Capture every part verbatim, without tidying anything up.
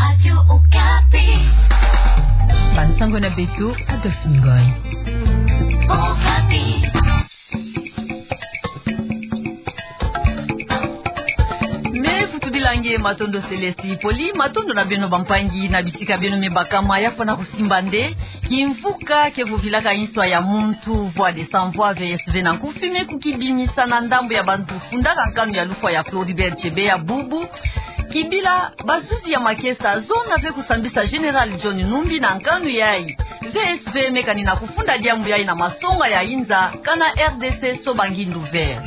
Radio Okapi. Bansango na beto, Adolphe Ngoy. Okapi. Me futu bilangi matondo Céleste Poli, matondo na beno bampangi na bisika beno me bakama. Ya fwana kusimba nde kimvuka ke vovilaka inswa ya muntu, Voix des Sans Voix, V S V na nkufi, me kukibimisa na ndambu ya bantu fundaka nkanu ya lufwa ya Floribert Chebeya bubu. Kibila bazuzi ya makesa zona ve kusambisa Général John Numbi na nkanu yayi. V S V me kani na kufunda diambu yayi na masonga ya inza, kana R D C soba ngindu ve.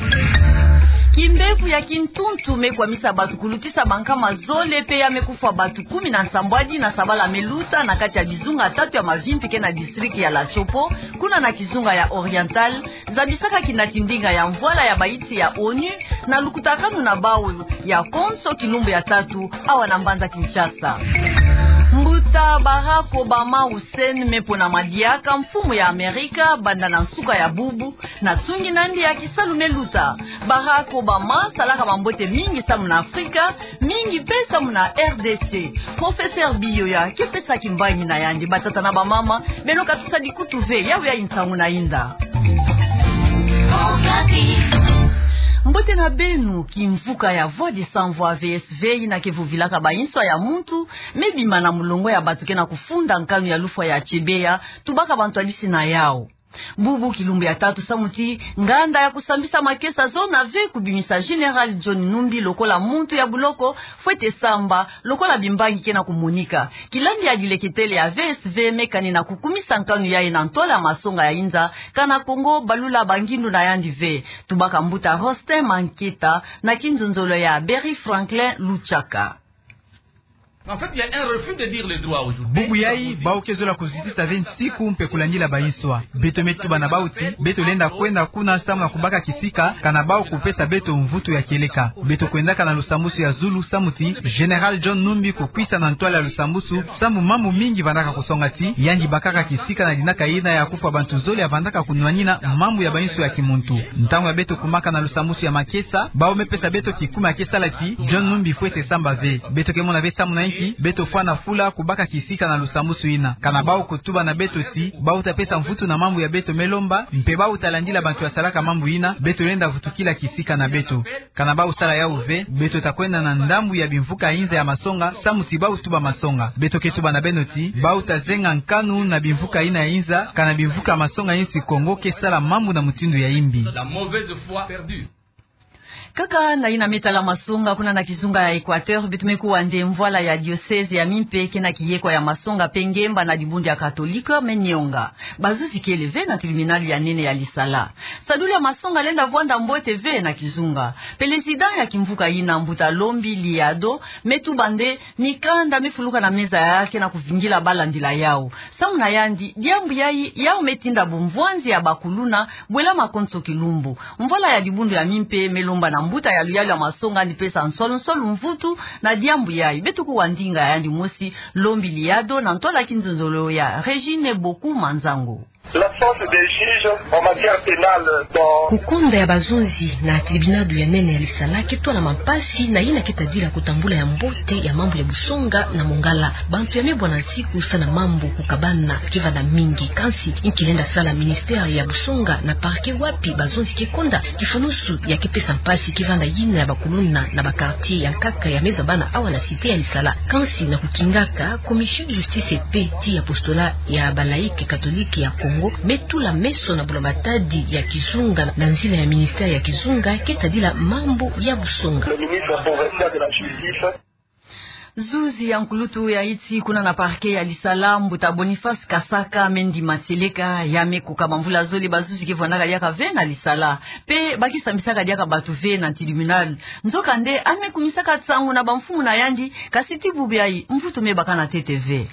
Kimbevo ya kintuntu me kwamisa batu kulutisa bankama zole, pe ya me kufwa batu kumi na nsambwadi na sabala me luta na kati ya bizunga tatu ya Mavimpi ke na district ya la Tshopo, kuna na kizunga ya Oriental, zabisaka kinati ndinga ya mvwala ya baiti ya ONU na lukutakanu na bawu ya konso kilumbu ya tatu awa na mbanza Kinshasa. Mbuta Barack Obama Hussein me ponama diaka mfumu ya Amerika banda na nsuka ya bubu, na tsungi na yandi ya kisalu me luta. Barack Obama salaka bambote mingi samu na Afrika, mingi pe samu na R D C. Professeur Biyoya ke pesa kimbangi na yandi. Batata na bamama, beno katusadi kutu ve, yawu yayi nsangu na inda. Mbote na beno. Kimvuka ya Voix des Sans Voix, V S V, yina ke vovilaka bainswa ya muntu, me bima na mulongo ya batu ke na kufunda nkanu ya lufwa ya Chebeya, tubaka bantwadisi na yawu. Bubu kilumbu ya tatu samu ti nganda ya kusambisa makesa zona ve kubimisa Général John Numbi lokola muntu ya buloko, fwete samba, lokola bimbangi ke na kumonika. Kilandi ya dileketele ya V S V me kani na kukumisa nkanu yayi na ntwala ya masonga ya inza, kana Kongo balula bangindu na yandi ve. Tubaka mbuta Rosten Manketa na kinzonzolo ya Berry Franklin Luchaka. En fait, il y a un refus de dire les droits aujourd'hui. Bubu yayi, bawu ke zola kuzitisa ve nsiku mpe kulandila bainswa. Beto me tuba na bawu ti beto lenda kwenda kuna samu na kubaka kisika, kana bawu kupesa beto mvutu ya kieleka. Beto kwendaka na lusambusu ya zulu samu ti Général John Numbi kukwisa na ntwala ya lusambusu, samu mambu mingi vandaka kusonga ti yandi bakaka kisika na dinaka yina ya kufwa bantu zole ya vandaka kunwanina mambu ya bainswa ya kimuntu. Ntangu ya beto kumaka na lusambusu ya makesa, bawu me pesa beto kikuma ke sala ti John Numbi fwete samba ve. Beto ke mona ve samu na inki beto fwana fula kubaka kisika na lusambusu yina. Kana bawu kutuba na beto ti bawu ta pesa mvutu na mambu ya beto me lomba, mpe bawu ta landila bantu ya salaka mambu yina, beto lenda vutukila kisika na beto. Kana bawu sala yawu ve, beto ta kwenda na ndambu ya bimvuka ya inza ya masonga, samu ti bawu tuba masonga. Beto ke tuba na beno ti bawu ta zenga nkanu na bimvuka yina ya inza, kana bimvuka ya masonga insi Kongo ke sala mambu na mutindu ya yimbi. La mauvaise foi perdure. Kaka na yina me tala masonga, kuna na kizunga ya Équateur, beto me kuwa nde mvwala ya diocèse ya Mimpe ke na kiyekwa ya masonga pe ngemba na dibundu ya Katolike me nionga. Bazuzi kele ve na tribunal ya nene ya Lisala. Sadulu ya masonga lenda vwanda mbote ve na kizunga. Président ya kimvuka yina, mbuta Lombi Liado, me tuba nde mikanda me fuluka na meza ya ke na kuvingila balandila yawu. Samu na yandi, diambu yayi, yawu me tinda bumvwanzi ya bakuluna bwela makonso kilumbu. Mvwala ya dibundu ya Mimpe me lomba na mbuta ya luyalu ya masonga yandi pesa nswalu nswalu mvutu na diambu yayi. Beto kuwa ndinga ya yandi mosi, Lombi Liado, na ntwala kinzonzolo ya Régine Boku Manzango. L'absence des juges en matière pénale dans... Kukonda ya bazonzi na tribunal ya nene ya Lisala ke twala mampasi na yina ke tadila kutambula ya mbote ya mambu ya busonga na Mongala. Bantu ya me bwana nsiku sa na mambu kukabana ke vanda mingi, kansi inki lenda sala ministère ya busonga na parquet, wapi bazonzi ke konda? Kifunusu ya ke pesa mpasi ke vanda yina ya bakuluna na ba quartier ya nkaka ya me zabana awa na cité ya Lisala. Kansi na kukingaka, Commission de Justice et Paix ti apostolat ya ba laïcs catholiques ya Congo me tula meso na bula-matadi ya kizunga na nzila ya ministère ya kizunga ke tadila mambu ya busonga. Le ministre provincial de la Justice. Zuzi ya nkulutu ya iti kuna na parquet ya Lisala, mbuta Boniface Kasaka, me ndima tieleka ya me kuka bamvula zole bazuzi ke vwandaka diaka ve na Lisala, pe ba ke sambisaka diaka batu ve na tribunal. Nzokande, yandi me kumisaka nsangu na bamfumu na yandi, kasi ti bubu yayi, mvutu me baka na ntete ve.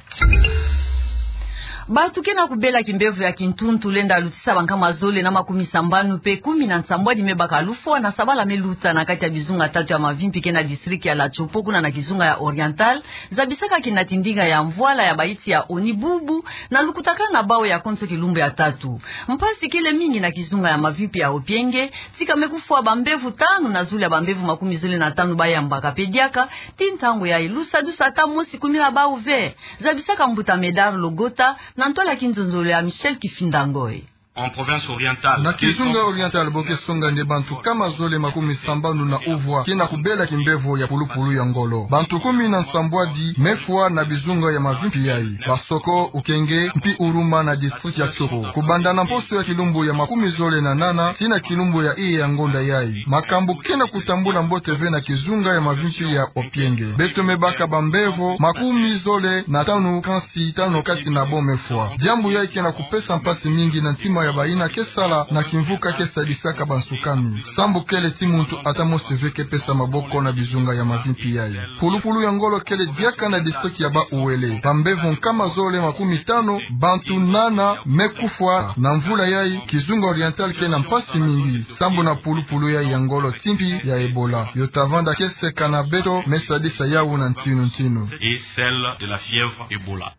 Bato ke na kubela kimbevo ya kintuntu lenda lutisa bankama zole na makumi sambanu pe kumi na nsambwadi me baka lufwa na sabala me luta na kati ya bizunga tatu ya mavimpi ke na district ya La Tshopo kuna na kizunga ya Oriental, zabisaka kina tindinga ya mvwala ya baiti ya ONU bubu na lukutakanu na bawu ya konso kilumbu ya tatu. Mpasi kele mingi na kizunga ya mavimpi ya Opienge, tika me kufwa bambevo tanu na zulu ya bambevo makumi zole na tanu bayambaka pe diaka, ti ntangu yayi lusadusu ata mosi kumila bawu ve. Zabisaka mbuta Medard Logota na ntwala ya kinzonzolo ya Michel Kifinda Ngoy. En province orientale, na kizunga Oriental bo ke songa nde bantu nkama zole makumi sambanu na uvwa ke na kubela kimbevo ya pulupulu ya ngolo. Bantu kumi na nsambwadi me fwa na bizunga ya mavimpi yayi: Basoko, Opienge, mpi Ourouma na district ya Tshopo. Kubanda na mposo ya kilumbu ya makumi zole na nana tii na kilumbu ya iye ya ngonda yayi, makambu ke na kutambula mbote ve na kizunga ya mavimpi ya Opienge. Beto me baka bambevo makumi zole na tanu, kansi tanu kati na bo me fwa. Diambu yayi ke na kupesa mpasi mingi na ntima ya bayina ke sala na kimvuka ke sadisaka bansukami. Sambu kele ti muntu ata mosi ve ke pesa maboko na bizunga ya mavimpi yayi. Pulupulu ya ngolo kele diaka na district ya Bas-Uele. Bambevo nkama zole makumi tanu, bantu nana me kufwa na mvula yayi. Kizunga Oriental ke na mpasi mingi sambu na pulupulu yayi ya ngolo ti mpi ya Ebola. Yo ta vanda ke seka na beto me sadisa yawu na ntinu-ntinu. Et celle de la fièvre Ebola.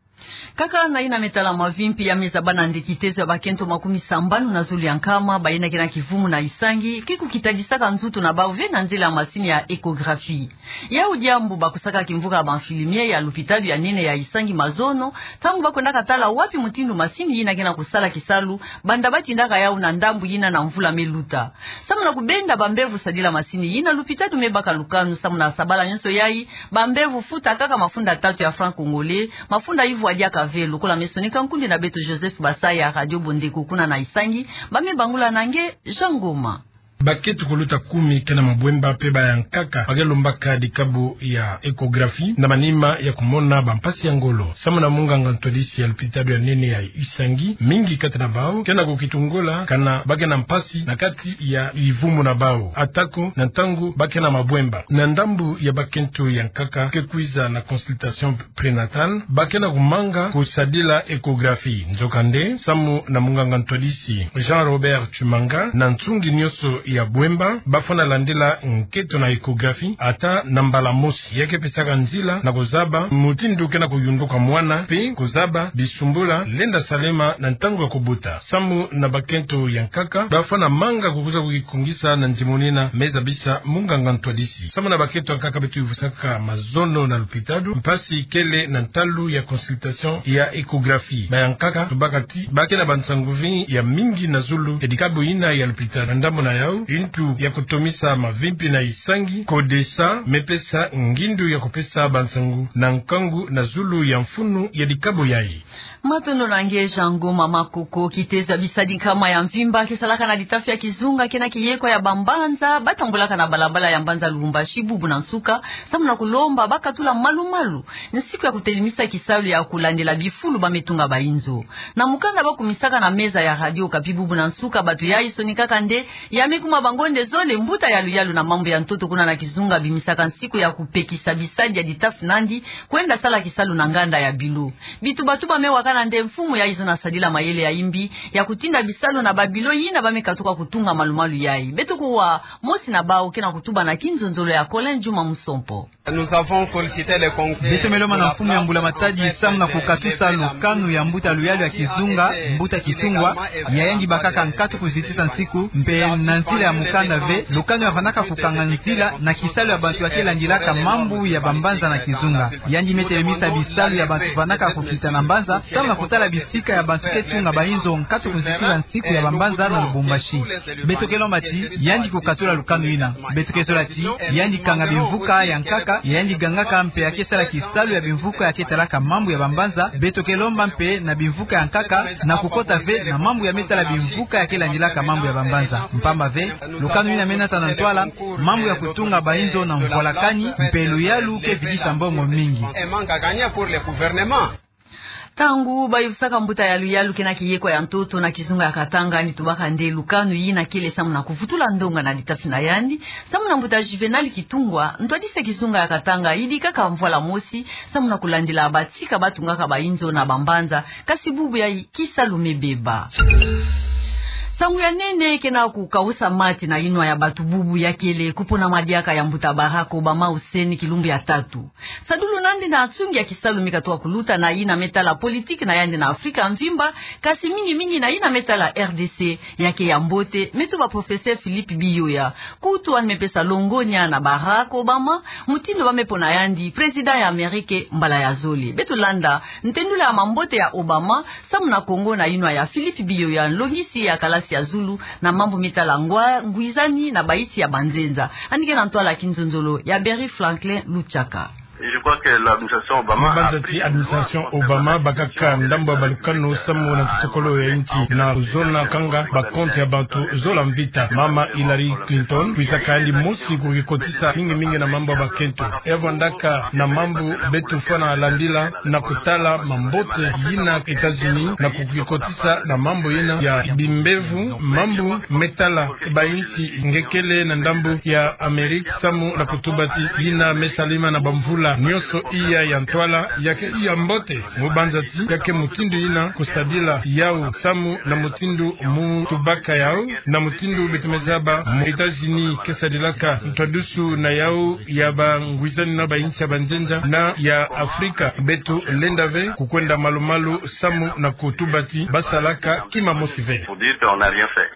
Kaka na yina me tala mavimpi, ya me zaba na nde kitezo ya bakento makumi sambanu na zole ya nkama bayina ke na kivumu na Isangi ke kukitadisaka nzutu na bawu ve na nzila ya masini ya échographie. Yawu diambu bakusaka kimvuka ya ba infirmier ya lupitalu ya nene ya Isangi mazono, ntangu ba kwendaka tala wapi mutindu masini yina ke na kusala kisalu, banda ba tindaka yawu na ndambu yina na mvula me luta. Samu na kubenda bambevo sadila masini yina, lupitalu me baka lukanu samu na sabala nyonso yayi bambevo futa kaka mafunda tatu ya franc congolais, mafunda yivwa diaka ve, lokola me sonika nkundi na beto Joseph Basaya ya Radio Bondeko kuna na Isangi, ba me bangula na nge Jean Ngoma. Bakento kuluta kumi ke na mabwemba mpe ba ya nkaka ba ke lombaka dikabu ya échographie na manima ya kumona bampasi ya ngolo. Samu na munganga ntwadisi ya lupitalu ya nene ya Isangi, mingi kati na bawu ke na kukitungola kana ba ke na mpasi na kati ya bivumu na bawu, atako na ntangu ba ke na mabwemba. Na ndambu ya bakento ya nkaka ke kwiza na consultation prénatale, ba ke na kumanga kusadila échographie. Nzokande, samu na munganga ntwadisi Jean Robert Tshimanga, na nsungi nyonso ya bwemba ba fwana landila nkento na échographie ata na mbala mosi. Ya ke pesaka nzila na kuzaba mutindu ke na kuyunduka mwana mpe kuzaba bisumbula lenda salema na ntangu ya kubuta. Samu na bakento ya nkaka, ba fwana manga kukwiza kukikungisa na nzimonina me zabisa munganga ntwadisi. Samu na bakento ya nkaka beto yivusaka mazono na lupitalu, mpasi kele na ntalu ya consultation ya échographie. Ba ya nkaka tubaka ti ba ke na bansangu ve ya mingi na zulu ya dikabu yina ya lupitalu. Na ndambu na yawu, yintu ya kutomisa mavimpi na Isangi, CODESA, me pesa ngindu ya kupesa bansangu na nkangu na zulu ya mfunu ya dikabu yayi. Matondo na nge Jean Ngoma Makoko. Kitezo ya bisadi nkama ya mvimba ke salaka na ditafi ya kizunga ke na kiyekwa ya bambanza ba tambulaka na balabala ya mbanza Lubumbashi bubu na nsuka, samu na kulomba ba katula malu-malu nsiku ya kutelimisa kisalu ya kulandila bifulu ba me tunga bainzo. Na mukanda ba kumisaka na meza ya Radio Okapi bubu na nsuka, bato yayi sonikaka nde ya me kuma bango nde zole mbuta ya luyalu na mambu ya ntoto kuna na kizunga bimisaka nsiku ya kupekisa bisadi ya ditafi nandi kwenda sala kisalu na nganda ya bilo. Bituba-tuba me wakana nde mfumu yayi zona sadila mayele ya yimbi ya kutinda bisalu na ba bilo yina ba me katuka kutunga malu-malu yayi. Beto kuwa mosi na bawu ke na kutuba na kinzonzolo ya Colin Djuma Musompo. Nous avons sollicité le congrès. Beto me lomba na mfumu ya mbula-matadi samu na kukatusa lukanu ya mbuta luyalu ya kizunga, mbuta Kitungwa, ya yandi bakaka nkatu kuzitisa nsiku, mpe na nzila ya mukanda ve, lukanu ya vandaka kukanga nzila na kisalu ya bantu ya ke landilaka mambu ya bambanza na kizunga. Yandi me telemisa bisalu ya bantu vandaka kukita na mbanza, samu na kutala bisika ya bantu ke tunga bainzo nkatu kuzitisa nsiku ya bambanza na Lubumbashi. Beto ke lomba ti yandi kukatula lukanu yina. Beto ke zola ti yandi kanga bimvuka ya nkaka, yandi gangaka mpe ya ke sala kisalu ya bimvuka ya ke talaka mambu ya bambanza. Beto ke lomba mpe na bimvuka ya nkaka na kukota ve na mambu ya me tala bimvuka ya ke landilaka mambu ya bambanza. Mpamba ve, lukanu yina me nata na ntwala mambu ya kutunga bainzo na mvwalakani, mpe luyalu ke vidisa mbongo mingi. Ntangu bayuvusaka mbuta Yalu Yalu kena kiyekwa ya ntoto na kizunga ya Katanga, ni tubaka nde lukanu yina kele samu na kuvutula ndonga na litafi na yandi, samu na mbuta Juvenal Kitungwa, ntwadisi ya kizunga ya Katanga yidikaka mvwala mosi, samu na kulandila batika batungaka bayinzo na bambanza, kasi bubu yayi kisalu mebeba. Nsangu ya nene kena kukawusa mati na yinwa ya batu bubu ya kele kupona madiaka ya mbuta Barack Obama Hussein kilumbu ya tatu. Sadulu nandi na nsungi ya kisalu mi katuka kuluta na yina me tala politiki na yandi na Afrika mvimba, kasi mingi mingi na yina me tala R D C, ya ke ya mbote, me tuba Professeur Philippe Biyoya. Kutu yandi me pesa longonya na Barack Obama, mutindu ba me pona yandi président ya Amerike mbala ya zole. Beto landa ntendula ya mambote ya Obama samu na Kongo na yinwa ya Philippe Biyoya, nlongisi ya kalasi ya zulu na mambu mi tala ngwa-, ngwizani na bayinsi ya banzenza. Yandi ke na ntwala kinzonzolo ya Berry Franklin Luchaka. Je crois que l'administration Obama a pris... Mu banza ti administration Obama bakaka ndambu ya balukanu samu na kitokolo ya yinsi na kuzona kanga ba compte ya bantu zola mvita. Mama Hillary Clinton, kwizaka yandi mosi kukikotisa mingi mingi na mambu ya bakento. Evo ndaka na mambu beto fwana landila na kutala mambote yina États-Unis na kukikotisa na mambu yina ya bimbevo, mambu me tala bayinsi nge kele na ndambu ya Amerike samu na kutubati yina me salama na bamvula nyonso iya ya ntwala ya ke ya mbote. Mu banza ti ya ke mutindu yina kusadila yau samu na mutindu mu tubaka yau, na mutindu beto me zaba mu États-Unis ke sadilaka ntwadusu na yau ya bangwizani na bayinsi ya banzenza na ya Afrika. Beto lenda ve kukwenda malu-malu samu na kutubati basalaka kima mosi ve. Pour dire qu'on n'a rien fait.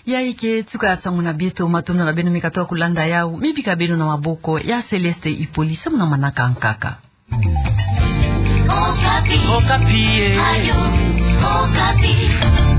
Yayi ke tuka ya nsangu na bieto, matondo na beno mi katuka kulanda yau, mi bika beno na maboko ya Céleste Hippolyte samu na manaka nkaka. Okapi. Okapi, eh. Radio Okapi.